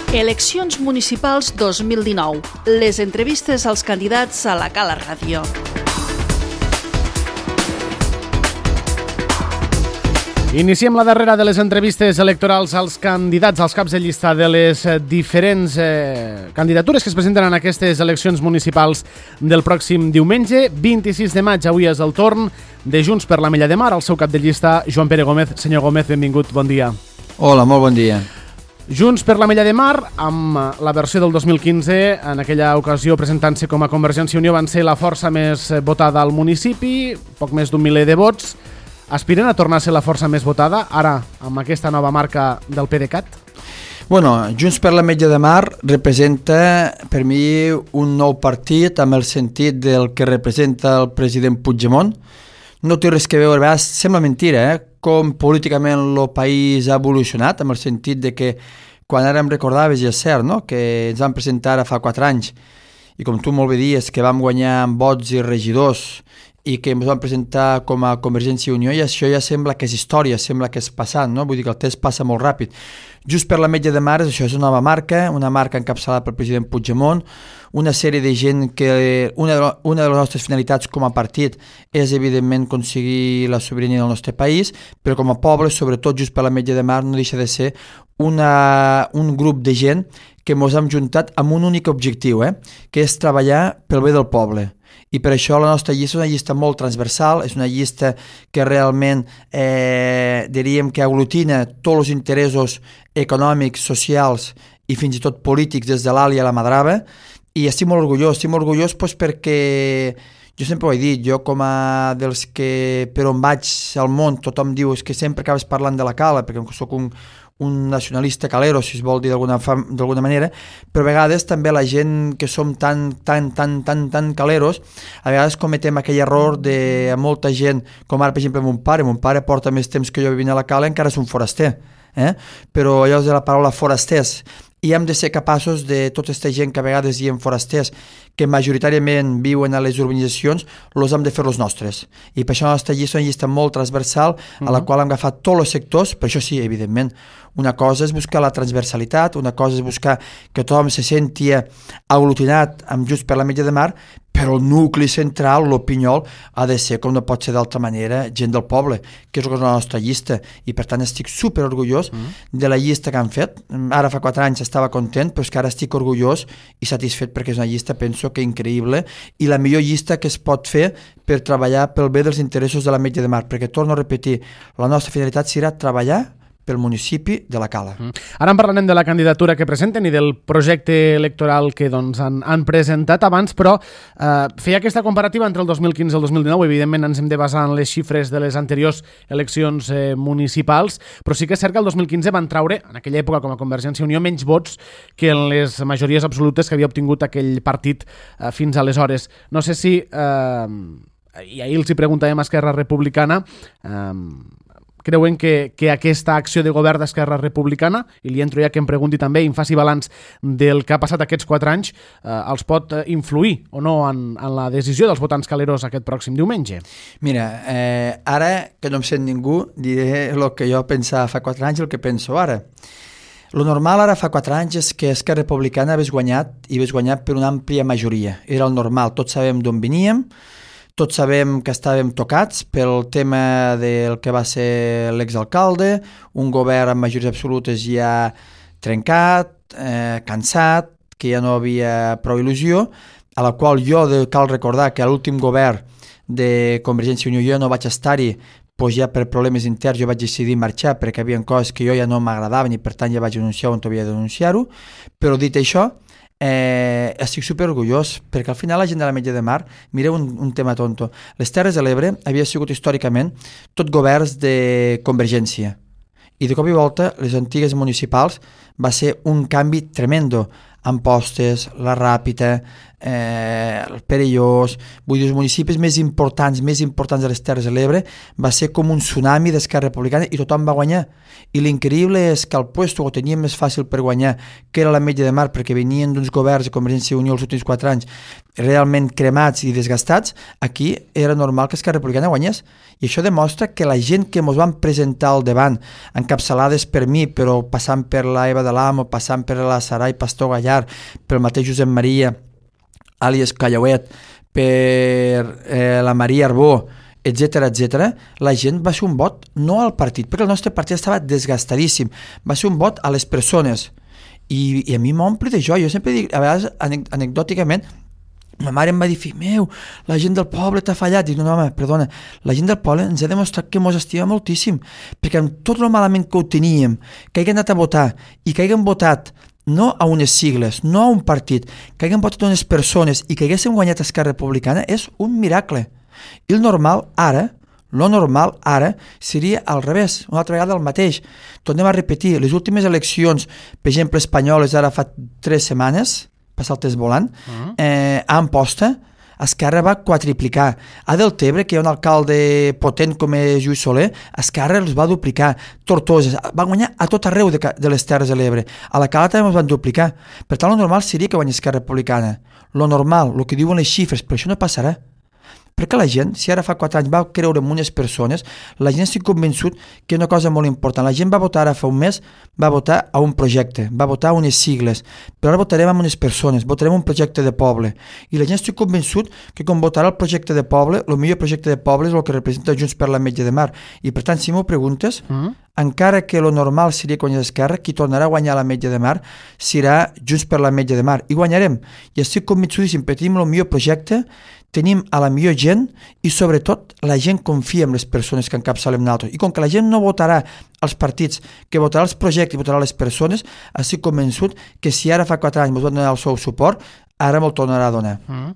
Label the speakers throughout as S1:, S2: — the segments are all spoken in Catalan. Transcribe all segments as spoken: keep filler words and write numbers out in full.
S1: Eleccions municipals dos mil dinou. Les entrevistes als candidats a la Cala Ràdio.
S2: Iniciem la darrera de les entrevistes electorals als candidats, als caps de llista de les diferents eh, candidatures que es presenten en aquestes eleccions municipals del pròxim diumenge, vint-i-sis de maig. Avui és el torn de Junts per l'Ametlla de Mar, el seu cap de llista, Joan Pere Gómez. Senyor Gómez, benvingut, bon dia.
S3: Hola, molt bon dia.
S2: Junts per l'Ametlla de Mar, amb la versió del dos mil quinze, en aquella ocasió presentant-se com a Convergència i Unió, van ser la força més votada al municipi, poc més d'un miler de vots. Aspiren a tornar a ser la força més votada, ara, amb aquesta nova marca del PDeCAT?
S3: Bueno, Junts per l'Ametlla de Mar representa, per mi, un nou partit amb el sentit del que representa el president Puigdemont. No té res que veure, a vegades sembla mentira, eh? Com políticament el país ha evolucionat, amb el sentit de que quan ara em recordaves, i és cert, no? Que ens vam presentar ara fa quatre anys, i com tu molt bé dies, que vam guanyar amb vots i regidors, i que ens vam presentar com a Convergència i Unió, i això ja sembla que és història, sembla que és passat, no? Vull dir que el temps passa molt ràpid. Just per l'Ametlla de Mar, això és una nova marca, una marca encapçalada pel president Puigdemont, una sèrie de gent que una de, una de les nostres finalitats com a partit és evidentment aconseguir la sobirania del nostre país, però com a poble, sobretot Just per l'Ametlla de Mar, no deixa de ser una, un grup de gent que ens hem juntat amb un únic objectiu, eh? Que és treballar pel bé del poble. I per això la nostra llista és una llista molt transversal, és una llista que realment eh, diríem que aglutina tots els interessos econòmics, socials i fins i tot polítics des de l'Ali a la Madrava, i estic molt orgullós, estic molt orgullós doncs, perquè jo sempre ho he dit, jo com a dels que per on vaig al món tothom diu és que sempre acabes parlant de la Cala, perquè soc un, un nacionalista calero, si es vol dir d'alguna, d'alguna manera, però a vegades també la gent que som tan, tan, tan, tan, tan caleros, a vegades cometem aquell error de molta gent, com ara per exemple mon pare, mon pare porta més temps que jo vivint a la Cala, encara és un foraster, eh? Però allò és de la paraula forasters, i hem de ser capaços de tota aquesta gent que a vegades diem forasters, que majoritàriament viuen a les urbanitzacions, els hem de fer els nostres. I per això la nostra llista és una llista molt transversal, a la qual hem agafat tots els sectors, però això sí, evidentment, una cosa és buscar la transversalitat, una cosa és buscar que tothom se senti aglutinat amb Just per l'Ametlla de Mar, però el nucli central, l'Opinyol, ha de ser, com no pot ser d'altra manera, gent del poble, que és la nostra llista, i per tant estic super orgullós mm. de la llista que han fet. Ara fa quatre anys estava content, però és que ara estic orgullós i satisfet perquè és una llista, penso que increïble, i la millor llista que es pot fer per treballar pel bé dels interessos de l'Ametlla de Mar, perquè torno a repetir, la nostra finalitat serà treballar pel municipi de la Cala.
S2: Mm. Ara en parlarem de la candidatura que presenten i del projecte electoral que doncs, han, han presentat abans, però eh, feia aquesta comparativa entre el dos mil quinze i el dos mil dinou. Evidentment ens hem de basar en les xifres de les anteriors eleccions eh, municipals, però sí que és cert que el dos mil quinze van traure, en aquella època com a Convergència i Unió, menys vots que en les majories absolutes que havia obtingut aquell partit eh, fins aleshores. No sé si, eh, i ahir els hi preguntàvem a Esquerra Republicana, eh, creuen que, que aquesta acció de govern d'Esquerra Republicana, i li entro ja que em pregunti també i em faci balanç del que ha passat aquests quatre anys, eh, els pot influir o no en, en la decisió dels votants caleros aquest pròxim diumenge?
S3: Mira, eh, ara que no em sent ningú, diré el que jo pensava fa quatre anys i el que penso ara. Lo normal ara fa quatre anys és que Esquerra Republicana hagués guanyat i hagués guanyat per una àmplia majoria. Era el normal, tots sabem d'on veníem, tots sabem que estàvem tocats pel tema del que va ser l'exalcalde, un govern amb majories absolutes ja trencat, eh, cansat, que ja no havia prou il·lusió, a la qual jo de, cal recordar que a l'últim govern de Convergència i Unió jo no vaig estar-hi, doncs ja per problemes interns jo vaig decidir marxar perquè hi havia coses que jo ja no m'agradaven i per tant ja vaig denunciar on havia de denunciar-ho, però dit això, Eh, estic super orgullós perquè al final la gent de l'Ametlla de Mar, mireu un, un tema tonto, les Terres de l'Ebre havia sigut històricament tot governs de Convergència i de cop i volta les antigues municipals va ser un canvi tremendo, Ampostes, la Ràpita, eh, el Perellós, vull dir, els municipis més importants, més importants de les Terres de l'Ebre, va ser com un tsunami d'Esquerra Republicana i tothom va guanyar. I l'increïble és que el puesto ho teníem més fàcil per guanyar, que era l'Ametlla de Mar, perquè venien d'uns governs de Convergència i Unió els últims quatre anys realment cremats i desgastats. Aquí era normal que Esquerra Republicana guanyés. I això demostra que la gent que ens van presentar al davant, encapçalades per mi, però passant per la Eva de l'Amo, passant per la Sarai Pastor Gallar, pel mateix Josep Maria, àlies Callauet, per eh, la Maria Arbó, etcètera, etcètera, la gent va ser un vot no al partit, perquè el nostre partit estava desgastadíssim, va ser un vot a les persones. I, i a mi m'omple de joia. Jo sempre dic, a vegades anecdòticament, ma mare em va dir, fill meu, la gent del poble t'ha fallat. Dic, no, no, home, perdona, la gent del poble ens ha demostrat que mos estima moltíssim, perquè amb tot el malament que ho teníem, que hagin anat a votar i que hagin votat no a unes sigles, no a un partit, que hagin votat unes persones i que haguéssim guanyat Esquerra Republicana, és un miracle. I el normal ara, lo normal ara, seria al revés, una altra vegada el mateix. Tornem a repetir, les últimes eleccions, per exemple, espanyoles, ara fa tres setmanes, passar el test volant, uh-huh. eh, a Amposta, Esquerra va quadriplicar. A Deltebre, que hi ha un alcalde potent com és Lluís Soler, Esquerra els va duplicar. Tortosa, va guanyar a tot arreu de, de les Terres de l'Ebre. A la Cala també els van duplicar. Per tant, lo normal seria que guanyés Esquerra Republicana. Lo normal, el que diuen les xifres, però això no passarà. Perquè la gent, si ara fa quatre anys va creure en unes persones, la gent estic convençut que una cosa molt important, la gent va votar ara fa un mes, va votar a un projecte, va votar a unes sigles, però ara votarem amb unes persones, votarem un projecte de poble. I la gent estic convençut que quan votarà el projecte de poble, el millor projecte de poble és el que representa Junts per l'Ametlla de Mar. I per tant, si m'ho preguntes, mm. encara que lo normal seria que guanyés Esquerra, qui tornarà a guanyar l'Ametlla de Mar serà Junts per l'Ametlla de Mar. I guanyarem. I estic convençudíssim, perquè tenim el millor projecte, tenim a la millor gent i sobretot la gent confia en les persones que encapçalem nosaltres. I com que la gent no votarà als partits, que votarà els projectes i votarà les persones, estic convençut que si ara fa quatre anys ens van donar el seu suport, ara me'l tornarà a donar. Mm.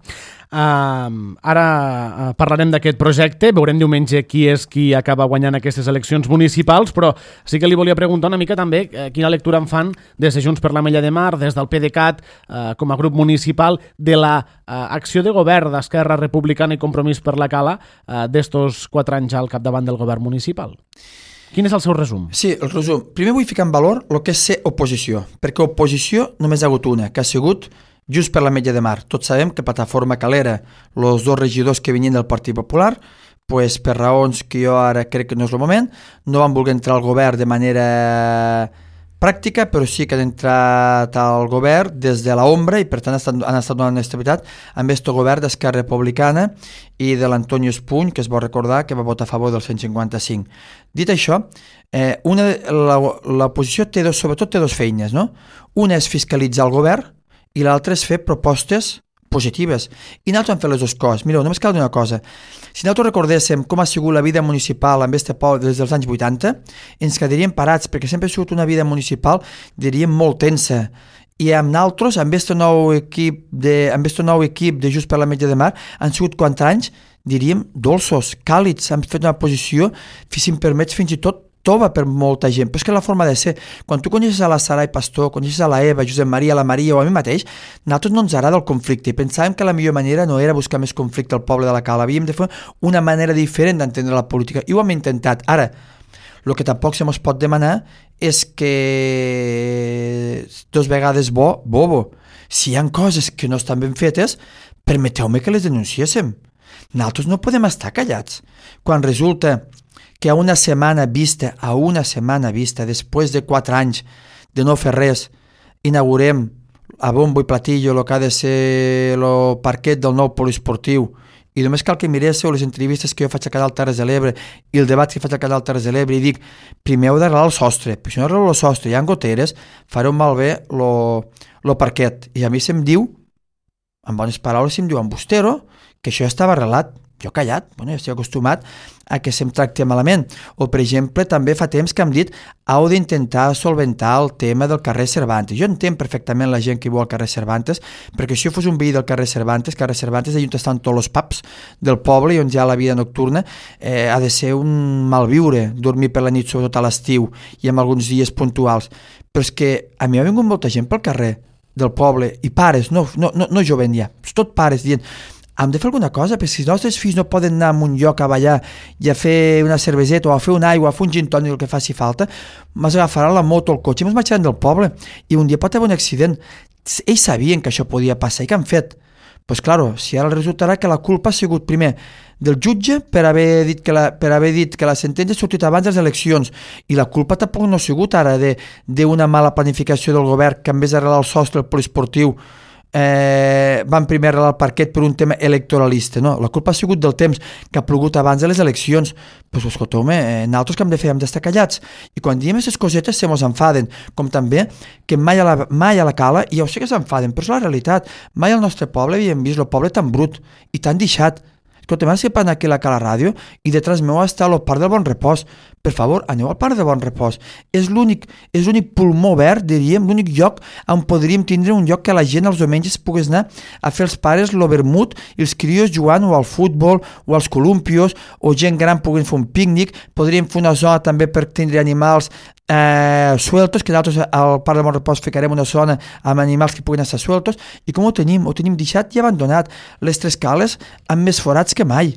S2: Uh, ara uh, parlarem d'aquest projecte, veurem diumenge qui és qui acaba guanyant aquestes eleccions municipals, però sí que li volia preguntar una mica també uh, quina lectura en fan des de Junts per l'Ametlla de Mar, des del PDeCAT uh, com a grup municipal, de la uh, acció de govern d'Esquerra Republicana i Compromís per la Cala uh, d'estos quatre anys al capdavant del govern municipal. Quin és el seu resum?
S3: Sí, el resum. Primer vull ficar en valor el que és ser oposició, perquè oposició només ha hagut una, que ha sigut Junts per l'Ametlla de Mar. Tots sabem que Plataforma Calera, els dos regidors que venien del Partit Popular, pues, per raons que jo ara crec que no és el moment, no van voler entrar al govern de manera pràctica, però sí que han entrat al govern des de l'ombra i per tant han estat donant estabilitat amb aquest govern d'Esquerra Republicana i de l'Antonio Espuny, que es vol recordar que va votar a favor del cent cinquanta-cinc. Dit això, eh, una, la, l'oposició té dos, sobretot té dues feines, no? Una és fiscalitzar el govern i l'altre és fer propostes positives. I nosaltres hem fet les dues coses. Mireu, només cal dir una cosa. Si nosaltres recordéssim com ha sigut la vida municipal en este poble des dels anys vuitanta, ens quedaríem parats, perquè sempre ha sigut una vida municipal, diríem, molt tensa. I amb nosaltres, amb aquest nou equip de, amb aquest nou equip de Junts per l'Ametlla de Mar, han sigut quatre anys, diríem, dolços, càlids, hem fet una posició, si em permets, fins i tot tova per molta gent, però és que la forma de ser, quan tu coneixes a la Sarai Pastor, coneixes a la Eva, Josep Maria, la Maria o a mi mateix, nosaltres no ens agrada el conflicte i pensàvem que la millor manera no era buscar més conflicte al poble de la Cala, havíem de fer una manera diferent d'entendre la política i ho hem intentat. Ara, el que tampoc se mos pot demanar és que dos vegades bo, bobo. Si hi ha coses que no estan ben fetes, permeteu-me que les denunciéssim. Nosaltres no podem estar callats. Quan resulta que a una setmana vista, a una setmana vista, després de quatre anys de no fer res, inaugurem a bombo i platillo el que ha de ser el parquet del nou poliesportiu i només cal que miréssiu les entrevistes que jo faig a Canal Terres de l'Ebre i el debat que faig a Canal Terres de l'Ebre i dic, primer heu d'arreglar el sostre, però si no arregleu el sostre, hi ha goteres, fareu malbé el parquet. I a mi se'm diu, en bones paraules, se'm diu, en Bustero, que això ja estava arreglat. Jo callat, bueno, ja estic acostumat a que se'm tracti malament. O, per exemple, també fa temps que hem dit heu d'intentar solventar el tema del carrer Cervantes. Jo entenc perfectament la gent que viu al carrer Cervantes, perquè si jo fos un veí del carrer Cervantes, carrer Cervantes, allà on estan tots els pubs del poble i on hi ha la vida nocturna, eh, ha de ser un malviure dormir per la nit, sobretot a l'estiu i en alguns dies puntuals. Però és que a mi ha vingut molta gent pel carrer del poble, i pares, no, no, no, no jovent ja, tot pares dient hem de fer alguna cosa, perquè si els nostres fills no poden anar a un lloc a ballar i a fer una cerveseta o a fer una aigua, a fer un gin tònic, el que faci falta, ens agafaran la moto o el cotxe i ens marxaran del poble i un dia pot haver un accident. Ells sabien que això podia passar i què han fet? Pues claro, si ara resultarà que la culpa ha sigut primer del jutge per haver dit que la, per haver dit que la sentència ha sortit abans de les eleccions i la culpa tampoc no ha sigut ara d'una mala planificació del govern que en vez d'arreglar el sostre del poliesportiu Eh, van primer arreglar el parquet per un tema electoralista, no? La culpa ha sigut del temps que ha plogut abans de les eleccions. Pues escolteu, eh, nosaltres que hem de fer hem d'estar callats i quan diem aquestes cosetes se mos enfaden, com també que mai a la, mai a la cala, i jo sé que s'enfaden, però és la realitat, mai al nostre poble havíem vist el poble tan brut i tan deixat. Escolta, m'has que anar aquí a la Cala Ràdio i detrás meu està el Parc del Bon Repòs. Per favor, aneu al Parc del Bon Repòs. És l'únic és l'únic pulmó verd, diríem, l'únic lloc on podríem tindre un lloc que la gent els diumenges pogués anar a fer els pares lo vermut i els crios jugant o al futbol o als columpios o gent gran poguent fer un pícnic. Podríem fer una zona també per tindre animals eh, sueltos, que nosaltres al Parc del Bon Repòs ficarem una zona amb animals que puguin estar sueltos i com ho tenim? Ho tenim deixat i abandonat. Les tres cales amb més forats que mai.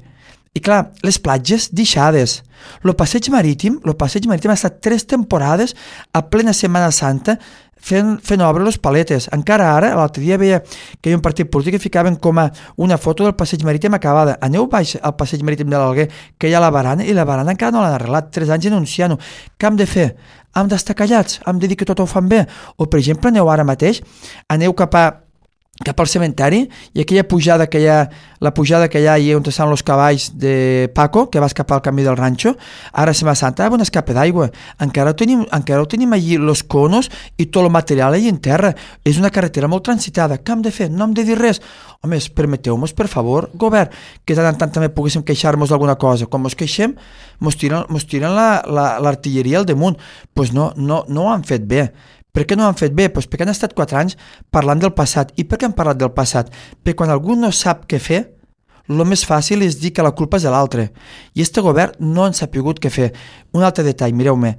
S3: I clar, les platges deixades. El passeig marítim, el passeig marítim ha estat tres temporades a plena Setmana Santa fent, fent obra les paletes. Encara ara, l'altre dia veia que hi ha un partit polític que ficaven com a una foto del passeig marítim acabada. Aneu baix al passeig marítim de l'Alguer, que hi ha la barana, i la barana encara no l'han arreglat. Tres anys denunciant-ho. Què hem de fer? Hem d'estar callats? Hem de dir que tot ho fan bé? O, per exemple, aneu ara mateix, aneu cap a cap al cementeri i aquella pujada que hi ha, la pujada que hi ha i on estan els cavalls de Paco, que va escapar al camí del ranxo, ara a Setmana Santa hi ha un escape d'aigua. Encara ho tenim, encara ho tenim allí, els conos i tot el material allà en terra. És una carretera molt transitada. Què hem de fer? No hem de dir res. Home, permeteu-nos, per favor, govern, que tant en tant també poguéssim queixar-nos d'alguna cosa. Quan ens queixem, ens tiren, mos tiren l'artilleria la, la, al damunt. Doncs pues no, no, no ho han fet bé. Per què no ho han fet bé? Pues perquè han estat quatre anys parlant del passat. I per què han parlat del passat? Perquè quan algú no sap què fer, el més fàcil és dir que la culpa és de l'altre. I este govern no han sapigut què fer. Un altre detall, mireu-me,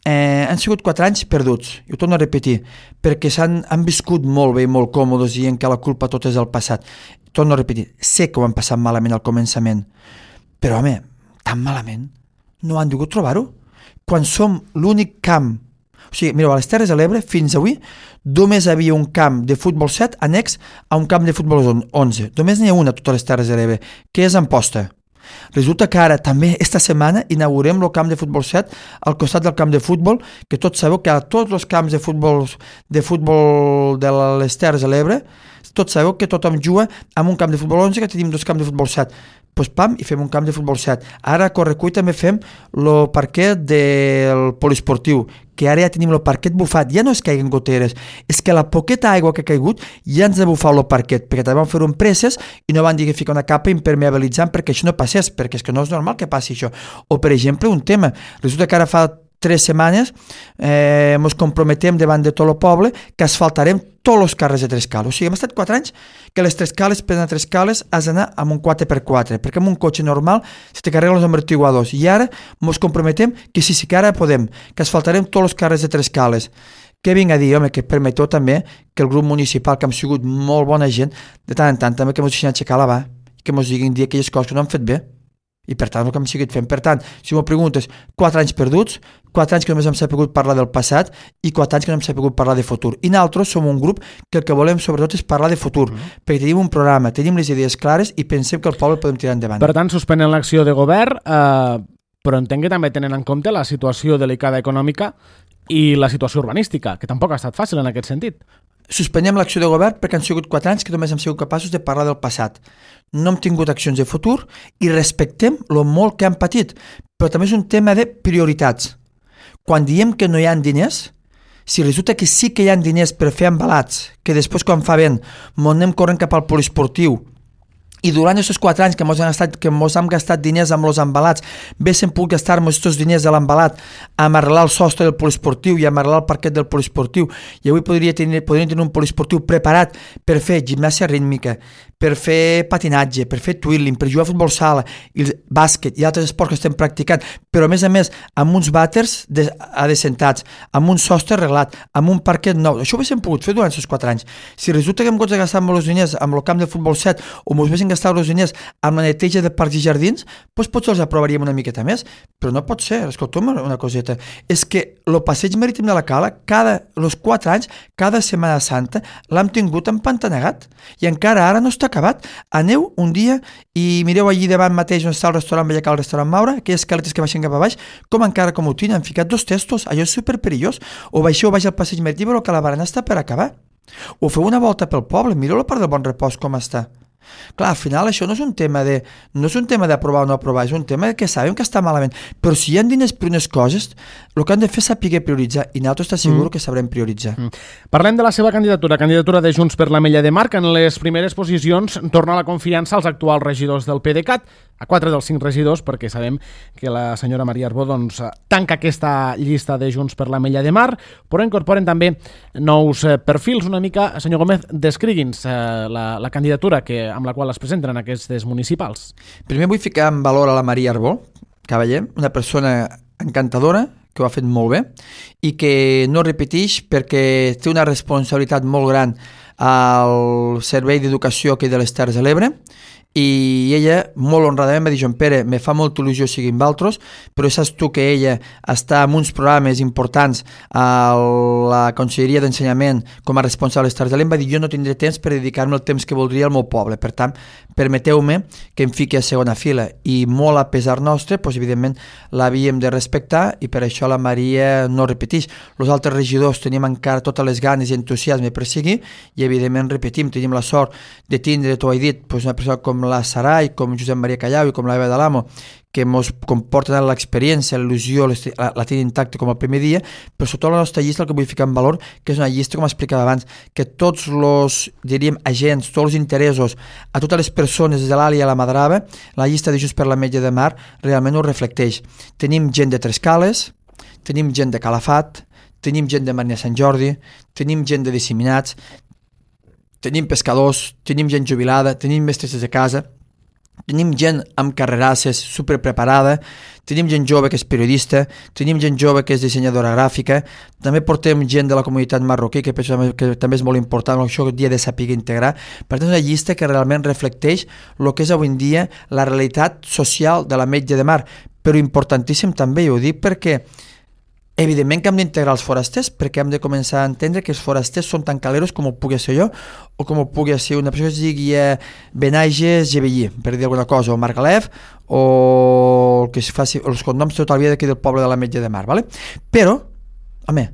S3: eh, han sigut quatre anys perduts, i ho torno a repetir, perquè s'han han viscut molt bé i molt còmodes dient que la culpa tot és del passat. Torno a repetir, sé que ho han passat malament al començament, però home, tan malament, no han degut trobar-ho? Quan som l'únic camp. O sigui, mireu, a les Terres de l'Ebre, fins avui, només hi havia un camp de futbol set annex a un camp de futbol onze. Només n'hi ha una a totes les Terres de l'Ebre, que és Amposta. Resulta que ara, també, esta setmana, inaugurem el camp de futbol set al costat del camp de futbol, que tots sabeu que a tots els camps de futbol de futbol de les Terres de l'Ebre, tots sabeu que tothom juga amb un camp de futbol onze, que tenim dos camps de futbol set. Pues pam, i fem un camp de futbol set. Ara a Correcull també fem el parquet del poliesportiu, que ara ja tenim el parquet bufat, ja no és que hi hagi goteres, és que la poqueta aigua que ha caigut ja ens ha bufat el parquet, perquè també van fer un presses i no van dir que ficar una capa impermeabilitzant perquè això no passés, perquè és que no és normal que passi això. O, per exemple, un tema, resulta que ara fa tres setmanes eh, ens comprometem davant de tot el poble que asfaltarem tots els carrers de Trescales. O sigui, hem estat quatre anys que les Trescales, per anar a Trescales, has d'anar amb un quatre per quatre, perquè amb un cotxe normal se te carreguen els amortiguadors. I ara ens comprometem que sí, sí que ara podem, que asfaltarem tots els carrers de Trescales. Què vinc a dir, home, que permeteu també que el grup municipal, que hem sigut molt bona gent, de tant en tant també que ens deixin aixecar la mà, que ens diguin dir aquelles coses que no han fet bé. I per tant el que hem seguit fent. Per tant, si m'ho preguntes, quatre anys perduts, quatre anys que només hem sabut parlar del passat i quatre anys que no hem sabut parlar de futur. I nosaltres som un grup que el que volem sobretot és parlar de futur, mm-hmm. perquè tenim un programa, tenim les idees clares i pensem que el poble podem tirar endavant.
S2: Per tant, suspenen l'acció de govern, eh, però entenc que també tenen en compte la situació delicada econòmica i la situació urbanística, que tampoc ha estat fàcil en aquest sentit.
S3: Suspenem l'acció de govern perquè han sigut quatre anys que només hem sigut capaços de parlar del passat. No hem tingut accions de futur i respectem el molt que han patit, però també és un tema de prioritats. Quan diem que no hi ha diners, si resulta que sí que hi ha diners per fer embalats, que després quan fa vent mos anem corrent cap al poliesportiu, i durant aquests quatre anys que mos hem gastat, que mos hem gastat diners amb els embalats, haguéssim pogut gastar-nos aquests diners de l'embalat amb arreglar el sostre del poliesportiu i amb arreglar el parquet del poliesportiu, i avui podria tenir, podríem tenir un poliesportiu preparat per fer gimnàsia rítmica, per fer patinatge, per fer twirling, per jugar a futbol sala, i el bàsquet i altres esports que estem practicant, però a més a més amb uns vàters de, adecentats, amb un sostre arreglat, amb un parquet nou. Això ho haguéssim pogut fer durant aquests quatre anys. Si resulta que hem hagut de gastar molts diners amb el camp de futbol set o ens haguéssim gastat els diners amb la neteja de parcs i jardins, doncs potser els aprovaríem una miqueta més, però no pot ser. Escolta'm una coseta, és que el passeig marítim de la Cala, cada, els quatre anys, cada Setmana Santa, l'hem tingut empantanegat i encara ara no està acabat. Aneu un dia i mireu allí davant mateix on està el restaurant Vallacar, el restaurant Maura, aquelles caletes que baixen cap a baix, com encara com ho tenen, han ficat dos testos, allò és superperillós. O baixeu baix al passeig marítim o que la barana està per acabar. O feu una volta pel poble, mireu la part del Bon Repòs com està. Clar, al final això no és un tema de no és un tema d'aprovar o no aprovar, és un tema de que sabem que està malament, però si hi ha diners per unes coses, el que han de fer és saber prioritzar, i nosaltres està segur mm. que sabrem prioritzar. Mm.
S2: Parlem de la seva candidatura, candidatura de Junts per l'Ametlla de Mar, que en les primeres posicions torna la confiança als actuals regidors del PDeCAT, a quatre dels cinc regidors, perquè sabem que la senyora Maria Arbó doncs, tanca aquesta llista de Junts per l'Ametlla de Mar, però incorporen també nous eh, perfils. Una mica, senyor Gómez, descrigui'ns eh, la, la candidatura que, amb la qual es presenten en aquestes municipals.
S3: Primer vull ficar en valor a la Maria Arbó, cavaller, una persona encantadora, que ho ha fet molt bé, i que no repeteix perquè té una responsabilitat molt gran al Servei d'Educació aquí de les Terres de l'Ebre, i ella molt honradament va dir: Joan Pere, me fa molta il·lusió seguir amb altres, però saps tu que ella està en uns programes importants a la Conselleria d'Ensenyament com a responsable de l'Estat de l'Em, va dir: jo no tindré temps per dedicar-me el temps que voldria al meu poble, per tant, permeteu-me que em fiqui a segona fila, i molt a pesar nostre, doncs, evidentment l'havíem de respectar, i per això la Maria no repeteix. Els altres regidors tenim encara totes les ganes i entusiasme per seguir, i evidentment repetim, tenim la sort de tindre, t'ho he dit, doncs una persona com la Sarai, com Josep Maria Callau i com l'Eva de l'Amo, que ens comporten l'experiència, l'il·lusió, la, la tenen intacta com el primer dia, però sobretot la nostra llista, el que vull ficar en valor, que és una llista, com explicava abans, que tots els, diríem, agents, tots els interessos, a totes les persones de l'Ali a la Madrava, la llista de Junts per l'Ametlla de Mar realment ho reflecteix. Tenim gent de Trescales, tenim gent de Calafat, tenim gent de Marina Sant Jordi, tenim gent de disseminats, tenim pescadors, tenim gent jubilada, tenim mestres de casa, tenim gent amb carrerasses superpreparada, tenim gent jove que és periodista, tenim gent jove que és dissenyadora gràfica, també portem gent de la comunitat marroquí, que penso que també és molt important, això que dia de saber integrar. Per tant, és una llista que realment reflecteix el que és avui en dia la realitat social de l'Ametlla de Mar, però importantíssim també, i ho dic perquè evidentment que hem d'integrar els forasters, perquè hem de començar a entendre que els forasters són tan caleros com ho pugui ser jo, o com ho pugui ser una persona que es digui eh, Benages Gebellí, per dir alguna cosa, o Margalef, o el que es faci, els cognoms tota la vida d'aquí del poble de l'Ametlla de Mar, ¿vale? Però, home,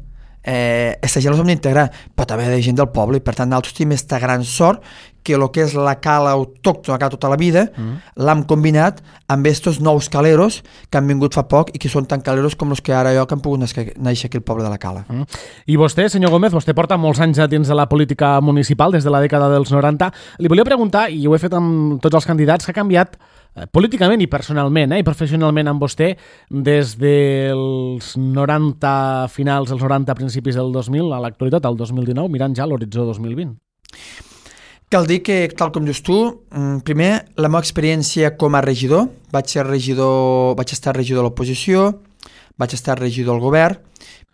S3: eh, aquesta gent els hem d'integrar, però també hi ha gent del poble, i per tant nosaltres tenim aquesta gran sort que el que és la cala autòctona tota la vida mm. l'hem combinat amb estos nous caleros que han vingut fa poc i que són tan caleros com els que ara jo que han pogut néixer aquí al poble de la Cala.
S2: Mm. I vostè, senyor Gómez, vostè porta molts anys dins de la política municipal, des de la dècada dels noranta. Li volia preguntar, i ho he fet amb tots els candidats, que ha canviat eh, políticament i personalment eh, i professionalment amb vostè des dels noranta finals, els noranta principis del dos mil a l'actualitat, al dos mil dinou, mirant ja l'horitzó dos mil vint.
S3: Cal dir que, tal com dius tu, primer, la meva experiència com a regidor, vaig ser regidor, vaig estar regidor de l'oposició, vaig estar regidor del govern,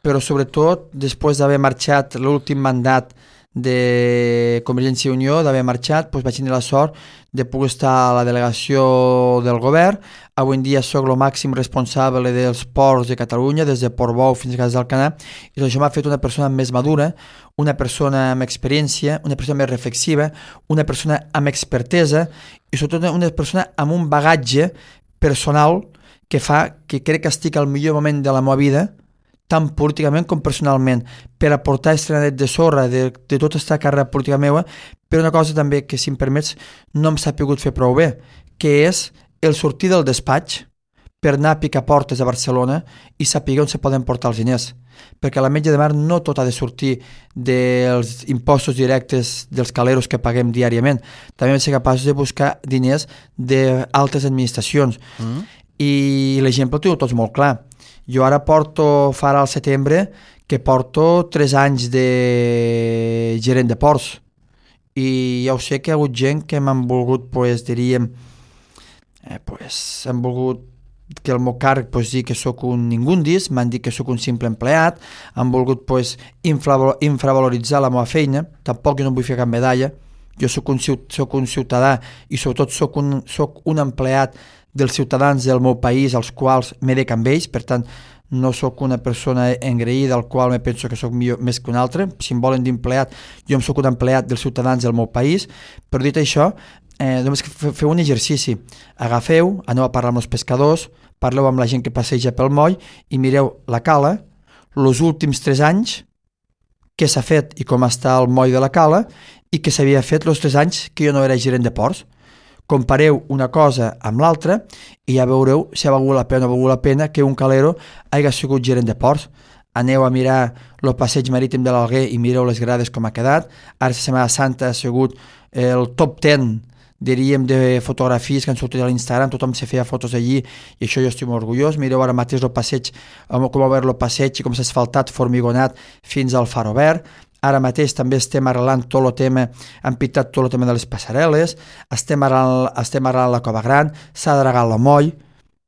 S3: però sobretot, després d'haver marxat l'últim mandat de Convergència i Unió, d'haver marxat, doncs vaig tenir la sort de poder estar a la delegació del govern. Avui en dia soc el màxim responsable dels ports de Catalunya, des de Portbou fins a Cas d'Alcanar, i això m'ha fet una persona més madura, una persona amb experiència, una persona més reflexiva, una persona amb expertesa i sobretot una persona amb un bagatge personal que fa que crec que estic al millor moment de la meva vida, tant políticament com personalment, per aportar estrenadet de sorra de, de tota aquesta carrera política meva, però una cosa també que, si em permets, no em s'ha pogut fer prou bé, que és el sortir del despatx per anar a picar portes a Barcelona i saber on se poden portar els diners. Perquè a l'Ametlla de Mar no tot ha de sortir dels impostos directes dels caleros que paguem diàriament. També hem de ser capaços de buscar diners d'altres administracions. Mm. I l'exemple ho teniu tots molt clar. Jo ara porto, farà al setembre, que porto tres anys de gerent de ports. i ja ho sé que hi ha hagut gent que m'han volgut, pues, diríem, eh, pues, han volgut que el meu càrrec pues, dir que sóc un ningundis, m'han dit que sóc un simple empleat, han volgut pues, infra, infravaloritzar la meva feina, tampoc jo no vull fer cap medalla, jo sóc un, sóc un ciutadà i sobretot sóc un, sóc un empleat dels ciutadans del meu país als quals m'he de amb ells, per tant no sóc una persona engreïda al qual me penso que sóc millor, més que un altre, si em volen dir empleat, jo em sóc un empleat dels ciutadans del meu país, però dit això, eh, només que feu un exercici, agafeu, aneu a parlar amb els pescadors, parleu amb la gent que passeja pel moll i mireu la cala, els últims tres anys, què s'ha fet i com està el moll de la cala i què s'havia fet els tres anys que jo no era gerent de ports. Compareu una cosa amb l'altra i ja veureu si ha valgut la pena o no ha valgut la pena que un calero hagi sigut gerent de ports. Aneu a mirar el passeig marítim de l'Alguer i mireu les grades com ha quedat. Ara la Setmana Santa ha sigut el top deu, diríem, de fotografies que han sortit a l'Instagram, tothom se feia fotos allí i això jo estic molt orgullós. Mireu ara mateix el passeig, com ha obert el passeig i com s'ha asfaltat, formigonat fins al far obert. Ara mateix també estem arreglant tot el tema, hem pintat tot el tema de les passarel·les, estem arreglant, estem arreglant la Cova Gran, s'ha dragat la moll,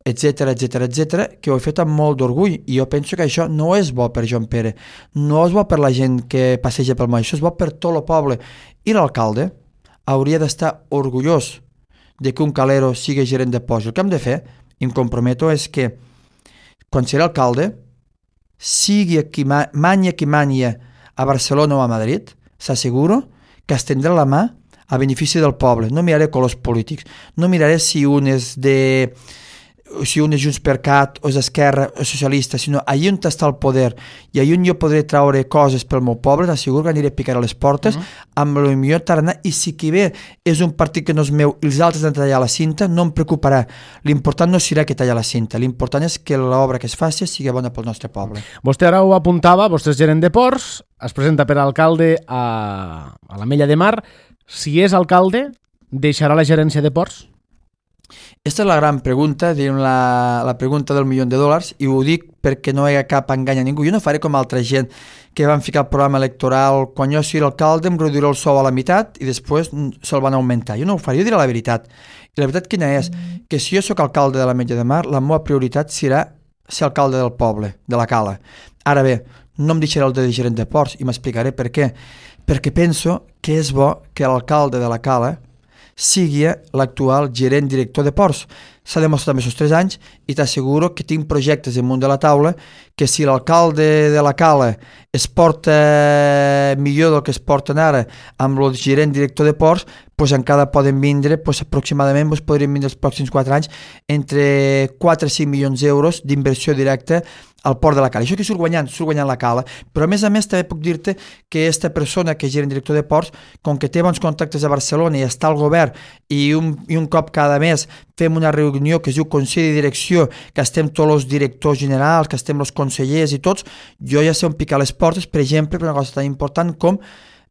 S3: etcètera, etcètera, etcètera, que ho he fet amb molt d'orgull i jo penso que això no és bo per Joan Pere, no és bo per la gent que passeja pel moll, això és bo per tot el poble. I l'alcalde hauria d'estar orgullós de que un calero sigui gerent de ports. El que hem de fer, i em comprometo, és que quan serà alcalde, sigui qui ma, manya qui manya a Barcelona o a Madrid, s'asseguro que estendrà la mà a benefici del poble. No miraré colors polítics, no miraré si un és de... si un és Junts per Cat o és Esquerra o socialista, sinó allà on està el poder i allà on jo podré traure coses pel meu poble, t'asseguro que aniré a picar a les portes uh-huh. amb el millor tarannà, i si qui ve és un partit que no és meu i els altres han de tallar la cinta, no em preocuparà. L'important no serà que tallar la cinta, l'important és que l'obra que es faci sigui bona pel nostre poble.
S2: Vostè ara ho apuntava, vostè és gerent de ports, es presenta per alcalde a, a l'Ametlla de Mar. Si és alcalde, deixarà la gerència de ports?
S3: Aquesta és la gran pregunta, la, la pregunta del milió de dòlars, i ho dic perquè no hi ha cap engany a ningú. Jo no faré com altra gent que van ficar el programa electoral, quan jo sigui alcalde em reduiré el sou a la meitat i després se'l van augmentar. Jo no ho faré, jo diré la veritat. I la veritat quina és? Que si jo sóc alcalde de l'Ametlla de Mar, la meva prioritat serà ser alcalde del poble, de la Cala. Ara bé, no em deixaré el de gerent de ports i m'explicaré per què. Perquè penso que és bo que l'alcalde de la Cala sigui l'actual gerent director de ports. S'ha demostrat en aquests tres anys i t'asseguro que tinc projectes damunt de la taula que si l'alcalde de la Cala es porta millor del que es porten ara amb el gerent director de ports, pues encara poden vindre, pues aproximadament pues podrien vindre els pròxims quatre anys entre quatre a cinc milions d'euros d'inversió directa al port de la Cala. Això que surt guanyant, surt guanyant la Cala, però a més a més també puc dir-te que aquesta persona que és gerent director de ports, com que té bons contactes a Barcelona i està al govern i un, i un cop cada mes fem una reunió que es diu Consell de Direcció, que estem tots els directors generals, que estem els consellers i tots, jo ja sé on picar les portes, per exemple, per una cosa tan important com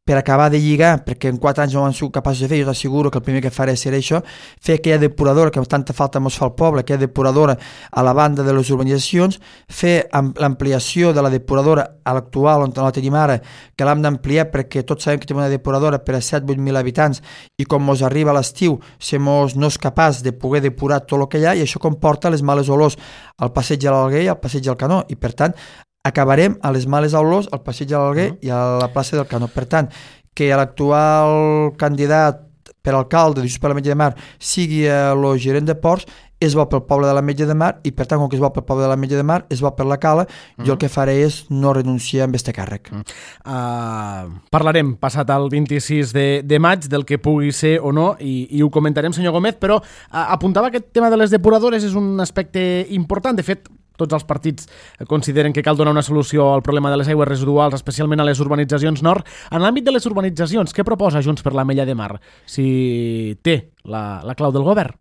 S3: per acabar de lligar, perquè en quatre anys no ho han sigut capaços de fer, jo t'asseguro que el primer que faré serà això, fer aquella depuradora que tanta falta mos fa al poble, aquella depuradora a la banda de les urbanitzacions, fer l'ampliació de la depuradora a l'actual on la tenim ara, que l'hem d'ampliar perquè tots sabem que tenim una depuradora per a set a vuit mil habitants i com mos arriba a l'estiu, si mos no és capaç de poder depurar tot el que hi ha, i això comporta les males olors al passeig de l'Alguer i al passeig del Canó, i per tant acabarem a les males olors al passeig de l'Alguer uh-huh. i a la plaça del Canó. Per tant, que l'actual candidat per alcalde de Junts per l'Ametlla de Mar sigui el gerent de ports és bo pel poble de l'Ametlla de Mar, i per tant, com que és bo pel poble de l'Ametlla de Mar, és bo per la Cala, uh-huh. jo el que faré és no renunciar amb este càrrec. Uh-huh.
S2: Uh, parlarem passat el vint-i-sis de, de maig del que pugui ser o no, i, i ho comentarem, senyor Gómez, però uh, apuntava aquest tema de les depuradores, és un aspecte important. De fet, tots els partits consideren que cal donar una solució al problema de les aigües residuals, especialment a les urbanitzacions nord. En l'àmbit de les urbanitzacions, què proposa Junts per l'Ametlla de Mar? Si té la, la clau del govern?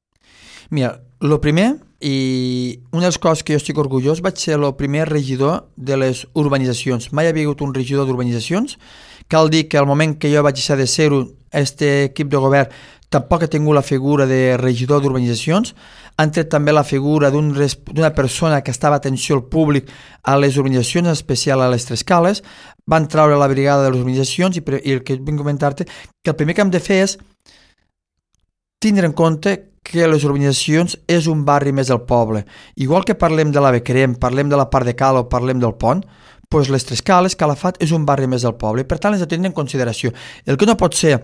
S3: Mira, el primer, i una de les coses que jo estic orgullós, vaig ser el primer regidor de les urbanitzacions. Mai havia hagut un regidor d'urbanitzacions cal dir que al moment que jo vaig deixar de ser-ho, este equip de govern tampoc ha tingut la figura de regidor d'urbanitzacions, han tret també la figura d'una un, persona que estava a atenció al públic a les urbanitzacions, en especial a les Tres Cales, van treure la brigada de les urbanitzacions i, i el que vinc a comentar-te, que el primer que hem de fer és tindre en compte que les urbanitzacions és un barri més del poble. Igual que parlem de la Becrem, parlem de la part de Cala o parlem del Pont, doncs les Tres Cales, Calafat, és un barri més del poble i per tant les hem de tenir en consideració. El que no pot ser,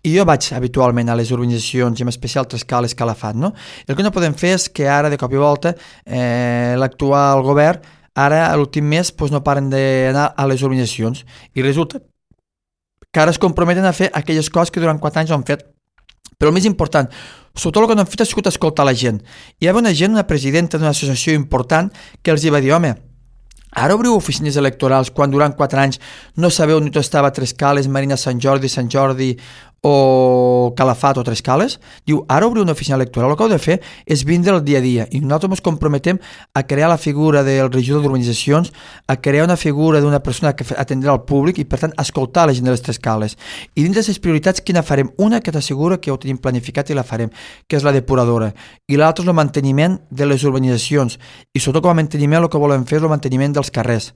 S3: i jo vaig habitualment a les urbanitzacions i en especial Tres Cales, Calafat, no? El que no podem fer és que ara de cop i volta eh, l'actual govern ara a l'últim mes doncs, no paren d'anar a les urbanitzacions i resulta que ara es comprometen a fer aquelles coses que durant quatre anys han fet. Però el més important, sobretot el que no han fet ha sigut escoltar la gent. Hi havia una gent, una presidenta d'una associació important que els va dir, home, ara obriu oficines electorals quan durant quatre anys no sabeu ni on estava Tres Cales, Marina, Sant Jordi, Sant Jordi o Calafat o Tres Cales? Diu, ara obriu una oficina electoral, el que heu de fer és vindre el dia a dia i nosaltres ens comprometem a crear la figura del regidor d'urbanitzacions, a crear una figura d'una persona que atendrà al públic i per tant escoltar la gent de les Tres Cales. I dins de les prioritats quina farem? Una que t'assegura que ho tenim planificat i la farem, que és la depuradora, i l'altra és el manteniment de les urbanitzacions i sobretot com a manteniment el que volem fer és el manteniment dels carrers.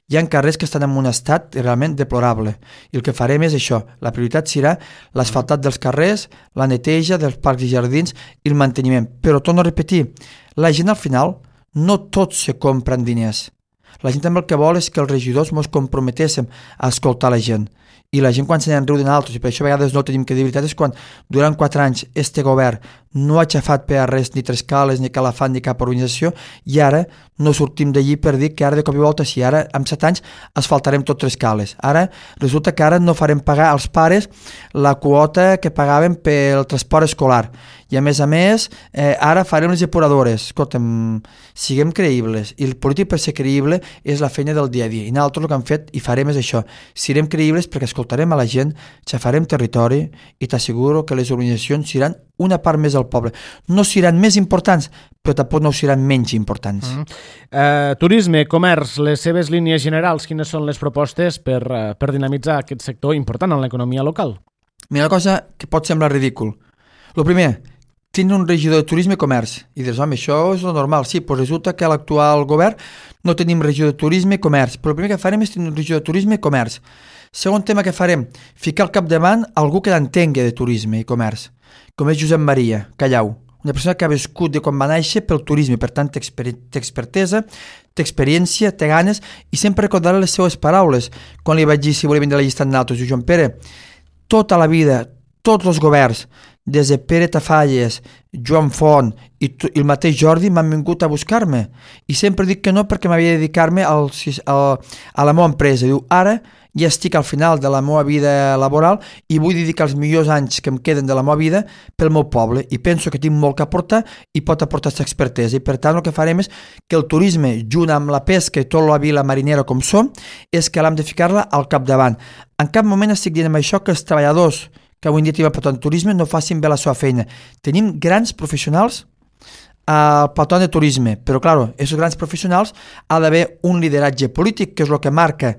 S3: Hi ha carrers que estan en un estat realment deplorable i el que farem és això, la prioritat serà l'asfaltat dels carrers, la neteja dels parcs i jardins i el manteniment. Però torno a repetir, la gent al final no tots se compren diners. La gent també el que vol és que els regidors ens comprometéssim a escoltar la gent. I la gent quan se n'en riu de nosaltres, i per això a vegades no tenim que dir veritat, és quan durant quatre anys este govern no ha aixafat per a res ni Tres Cales, ni Calafat, ni cap organització, i ara no sortim d'allí per dir que ara de cop i volta, si ara en set anys asfaltarem tot Tres Cales. Ara resulta que ara no farem pagar als pares la quota que pagaven pel transport escolar. I a més a més, eh, ara farem les depuradores. Escolta'm, siguem creïbles. I el polític per ser creïble és la feina del dia a dia. I nosaltres el que hem fet i farem és això. Serem creïbles perquè escoltarem a la gent, xafarem territori i t'asseguro que les organitzacions seran una part més del poble. No seran més importants, però tampoc no seran menys importants.
S2: Mm. Uh, turisme, comerç, les seves línies generals, quines són les propostes per, uh, per dinamitzar aquest sector important en l'economia local?
S3: Mira, una cosa que pot semblar ridícul. El primer, tindre un regidor de turisme i comerç. I dius, home, això és lo normal. Sí, però resulta que a l'actual govern no tenim regidor de turisme i comerç. Però el primer que farem és tenir un regidor de turisme i comerç. Segon tema que farem, ficar al capdavant algú que l'entengui de turisme i comerç, com és Josep Maria Callau, una persona que ha viscut de quan va néixer pel turisme, per tant té, exper té expertesa, té experiència, té ganes, i sempre recordar les seues paraules. Quan li vaig dir si volia vindre a la llista amb nosaltres, diu, Joan Pere, tota la vida, tots els governs, des de Pere Tafalles, Joan Font i, i el mateix Jordi m'han vingut a buscar-me. I sempre dic que no perquè m'havia de dedicar-me al, al, a la meva empresa. Diu, ara ja estic al final de la meva vida laboral i vull dedicar els millors anys que em queden de la meva vida pel meu poble i penso que tinc molt que aportar i pot aportar aquesta expertesa i per tant el que farem és que el turisme junt amb la pesca i tot la vila marinera com som és que l'hem de ficar-la al capdavant. En cap moment estic dient amb això que els treballadors que avui en dia tenim al patron de turisme no facin bé la seva feina. Tenim grans professionals al patron de turisme, però clar, aquests grans professionals ha d'haver un lideratge polític que és el que marca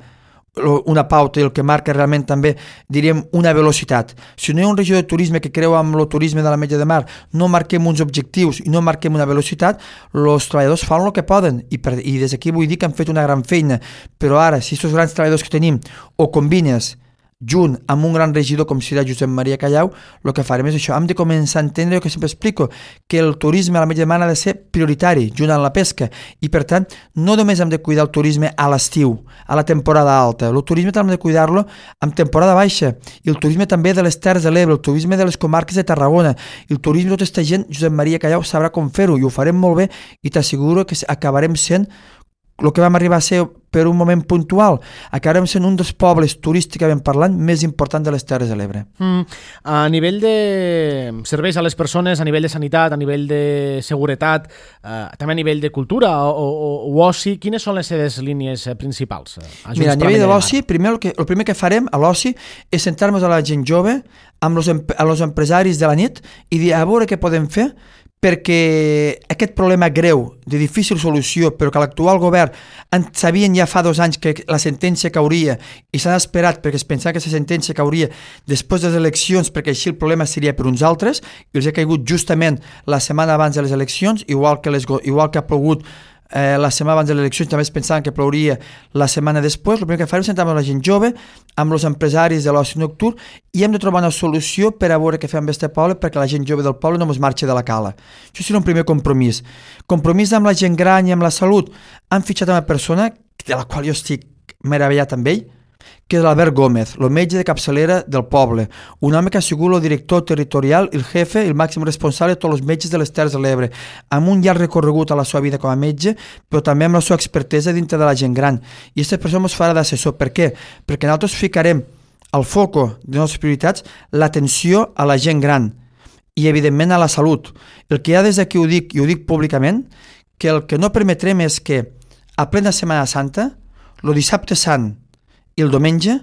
S3: una pauta i el que marca realment també, diríem, una velocitat. Si no hi ha un regidor de turisme que creu amb el turisme de la Metlla de Mar, no marquem uns objectius i no marquem una velocitat, els treballadors fan el que poden i, per, i des d'aquí vull dir que han fet una gran feina, però ara, si aquests grans treballadors que tenim o combines junt amb un gran regidor com serà Josep Maria Callau, el que farem és això, hem de començar a entendre el que sempre explico, que el turisme a la Metlla de Mar ha de ser prioritari, junt amb la pesca, i per tant no només hem de cuidar el turisme a l'estiu, a la temporada alta, el turisme també hem de cuidar-lo en temporada baixa, i el turisme també de les Terres de l'Ebre, el turisme de les comarques de Tarragona, i el turisme de tota aquesta gent, Josep Maria Callau sabrà com fer-ho, i ho farem molt bé, i t'asseguro que acabarem sent el que vam arribar a ser per un moment puntual, acabarem sent un dels pobles turísticament parlant més important de les Terres de l'Ebre.
S2: Mm. A nivell de serveis a les persones, a nivell de sanitat, a nivell de seguretat, eh, també a nivell de cultura o, o, o oci, quines són les seves línies principals? A
S3: Mira, a nivell de l'oci, primer el, que, el primer que farem a l'oci és sentar-nos a la gent jove, amb els, amb els empresaris de la nit i dir a veure què podem fer perquè aquest problema greu, de difícil solució, però que l'actual govern en sabien ja fa dos anys que la sentència cauria i s'han esperat perquè es pensava que la sentència cauria després de les eleccions perquè així el problema seria per uns altres i els ha caigut justament la setmana abans de les eleccions, igual que, les, igual que ha plogut Eh, la setmana abans de les eleccions també es pensaven que plouria la setmana després. El primer que farem és sentar amb la gent jove, amb els empresaris de l'oci nocturn i hem de trobar una solució per a veure què fem amb aquest poble perquè la gent jove del poble no ens marxi de la cala. Això serà un primer compromís. Compromís amb la gent gran i amb la salut. Han fitxat una persona de la qual jo estic meravellat amb ell, que és l'Albert Gómez, el metge de capçalera del poble, un home que ha sigut el director territorial, el jefe, el màxim responsable de tots els metges de les Terres de l'Ebre, amb un llarg recorregut a la seva vida com a metge, però també amb la seva expertesa dintre de la gent gran. I aquesta persona ens farà d'assessor. Per què? Perquè nosaltres ficarem al foco de les nostres prioritats l'atenció a la gent gran i, evidentment, a la salut. El que ja des d'aquí ho dic, i ho dic públicament, que el que no permetrem és que a plena Setmana Santa, el dissabte sant i el diumenge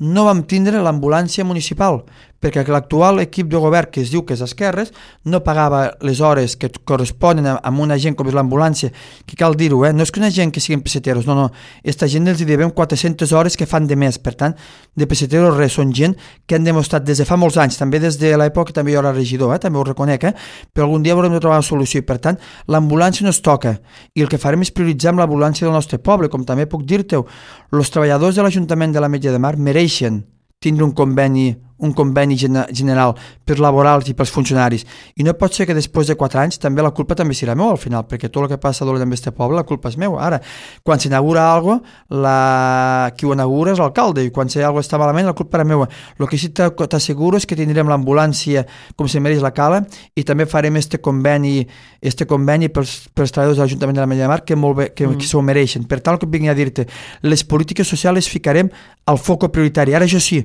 S3: no vam tindre l'ambulància municipal perquè l'actual equip de govern que es diu que és d'esquerres no pagava les hores que corresponen a, a una gent com és l'ambulància, que cal dir-ho, eh? No és que una gent que siguin peseteros, no, no, aquesta gent els hi devem quatre-centes hores que fan de més, per tant, de peseteros res, són gent que han demostrat des de fa molts anys, també des de l'època també jo era regidor, eh? També ho reconec, eh? Però algun dia haurem de trobar una solució i per tant, l'ambulància no es toca i el que farem és prioritzar amb l'ambulància del nostre poble, com també puc dir-te-ho, els treballadors de l'Ajuntament de l'Ametlla de Mar mereixen tindre un conveni un conveni general per laborals i pels funcionaris. I no pot ser que després de quatre anys també la culpa també serà meu al final, perquè tot el que passa dolent amb este poble, la culpa és meu. Ara, quan s'inaugura alguna cosa, la... qui ho inaugura és l'alcalde, i quan alguna cosa està malament, la culpa era meva. El que sí t'asseguro és que tindrem l'ambulància com se mereix la cala i també farem este conveni, este conveni pels, pels treballadors de l'Ajuntament de l'Ametlla de Mar que, molt bé, que, mm. que s'ho mereixen. Per tant, el que vinc a dir-te, les polítiques socials les ficarem al foco prioritari. Ara, això sí,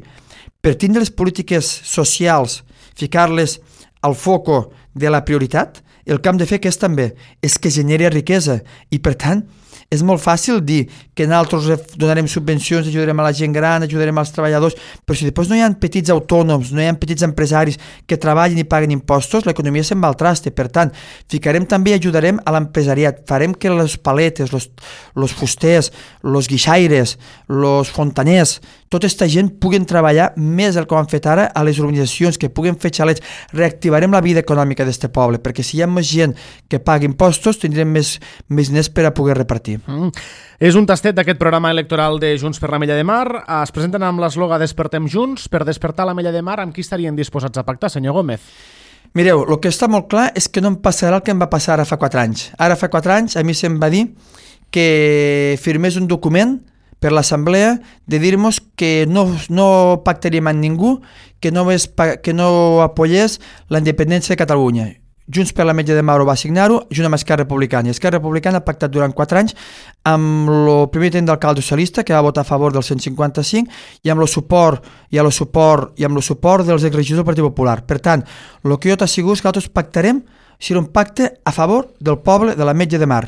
S3: per tindre les polítiques socials, ficar-les al foco de la prioritat, el que hem de fer que és també és que generi riquesa i per tant és molt fàcil dir que nosaltres donarem subvencions, ajudarem a la gent gran, ajudarem als treballadors, però si després no hi ha petits autònoms, no hi ha petits empresaris que treballen i paguen impostos, l'economia se'n va al traste. Per tant, ficarem també i ajudarem a l'empresariat. Farem que les paletes, los, los fusters, los guixaires, los fontaners, tota aquesta gent puguen treballar més del que ho han fet ara a les urbanitzacions, que puguen fer xalets. Reactivarem la vida econòmica d'aquest poble, perquè si hi ha més gent que pagui impostos, tindrem més, més diners per a poder repartir.
S2: Mm. És un tastet d'aquest programa electoral de Junts per l'Ametlla de Mar. Es presenten amb l'esloga Despertem Junts. Per despertar l'Ametlla de Mar, amb qui estarien disposats a pactar, senyor Gómez?
S3: Mireu, el que està molt clar és que no em passarà el que em va passar ara fa quatre anys. Ara fa quatre anys a mi se'm va dir que firmés un document per l'Assemblea de dir-nos que no, no pactaríem amb ningú, que no, ves, que no apoyés la independència de Catalunya. Junts per l'Ametlla de Mar va signar-ho, junt amb Esquerra Republicana. I Esquerra Republicana ha pactat durant quatre anys amb el primer tenent d'alcalde socialista, que va votar a favor del cent cinquanta-cinc, i amb el suport i amb el suport i amb el suport dels exregidors del Partit Popular. Per tant, el que jo t'asseguro és que nosaltres pactarem, serà un pacte a favor del poble de l'Ametlla de Mar.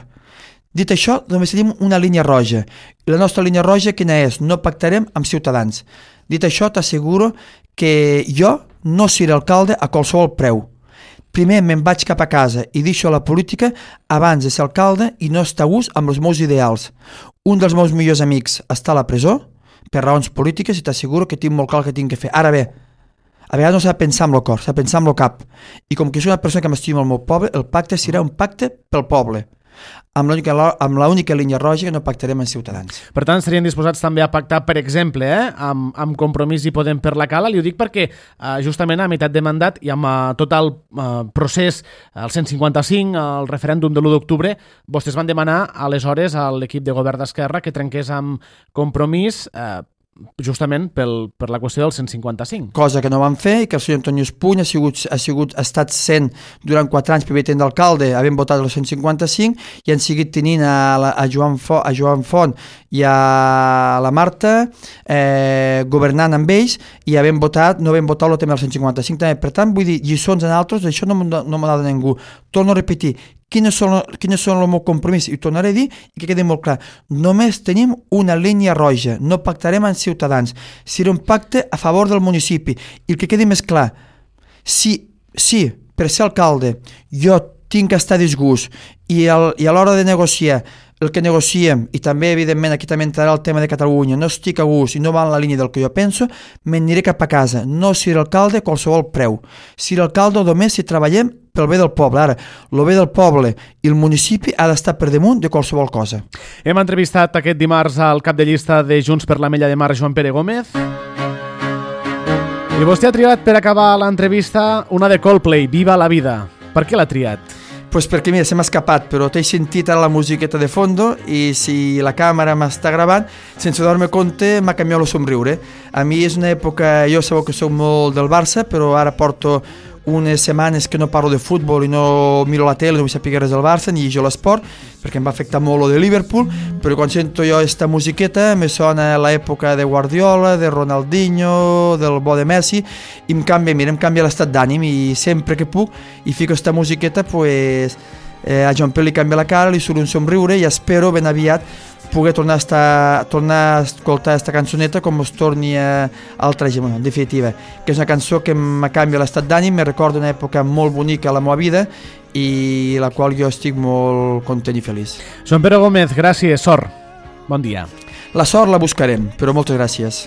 S3: Dit això, només tenim una línia roja. I la nostra línia roja quina és? No pactarem amb Ciutadans. Dit això, t'asseguro que jo no seré alcalde a qualsevol preu. Primer me'n vaig cap a casa i deixo la política abans de ser alcalde i no estar a gust amb els meus ideals. Un dels meus millors amics està a la presó per raons polítiques i t'asseguro que tinc molt clar el que tinc que fer. Ara bé, a vegades no s'ha de pensar amb el cor, s'ha de pensar amb el cap. I com que soc una persona que m'estima el meu poble, el pacte serà un pacte pel poble. Amb l'única línia roja que no pactarem amb Ciutadans.
S2: Per tant, serien disposats també a pactar, per exemple, eh, amb, amb Compromís i Podem per la Cala. Li ho dic perquè eh, justament a meitat de mandat i amb eh, tot el eh, procés, el cent cinquanta-cinc, el referèndum de l'u d'octubre, vostès van demanar aleshores a l'equip de govern d'Esquerra que trenqués amb Compromís eh, justament pel, per la qüestió del cent cinquanta-cinc.
S3: Cosa que no van fer i que el senyor Antoni Espuny ha sigut, ha sigut ha estat sent durant quatre anys primer tenent d'alcalde, havent votat el cent cinquanta-cinc i han seguit tenint a, la, a, Joan, Font, a Joan Font i a la Marta eh, governant amb ells i havent votat, no havent votat el tema del cent cinquanta-cinc també. Per tant, vull dir, lliçons en altres, això no, no m'ha de ningú. Torno a repetir, quines són, quines són el meu compromís, i ho tornaré a dir i que quedi molt clar, només tenim una línia roja, no pactarem amb Ciutadans, serà un pacte a favor del municipi, i el que quedi més clar, si, si per ser alcalde jo tinc que estar a disgust i, el, i a l'hora de negociar el que negociem, i també evidentment aquí també entrarà el tema de Catalunya, no estic a gust i no va en la línia del que jo penso, m'aniré cap a casa, no ser alcalde a qualsevol preu, ser alcalde només si treballem pel bé del poble. Ara, el bé del poble i el municipi ha d'estar per damunt de qualsevol cosa.
S2: Hem entrevistat aquest dimarts al cap de llista de Junts per l'Ametlla de Mar, Joan Pere Gómez. I vostè ha triat per acabar l'entrevista una de Coldplay, Viva la vida. Per què l'ha triat?
S3: Pues perquè, mira, se m'ha escapat, però t'he sentit ara la musiqueta de fondo i si la càmera m'està gravant, sense donar-me compte, m'ha canviat el somriure. A mi és una època, jo sabeu que soc molt del Barça, però ara porto unes setmanes que no parlo de futbol i no miro la tele, no vull saber res del Barça ni jo l'esport, perquè em va afectar molt lo de Liverpool, però quan sento jo esta musiqueta me sona l'època de Guardiola, de Ronaldinho, del bo de Messi, i em canvia, mira, em canvia l'estat d'ànim, i sempre que puc i fico esta musiqueta, pues eh, a Joan Pere li canvia la cara, li surt un somriure i espero ben aviat poder tornar a, estar, tornar a escoltar aquesta cançoneta com es torni a altra gent, en definitiva, que és una cançó que em canvia l'estat d'ànim, me recorda una època molt bonica a la meva vida i la qual jo estic molt content i feliç.
S2: Joan Pere Gómez, gràcies, sort. Bon dia.
S3: La sort la buscarem, però moltes gràcies.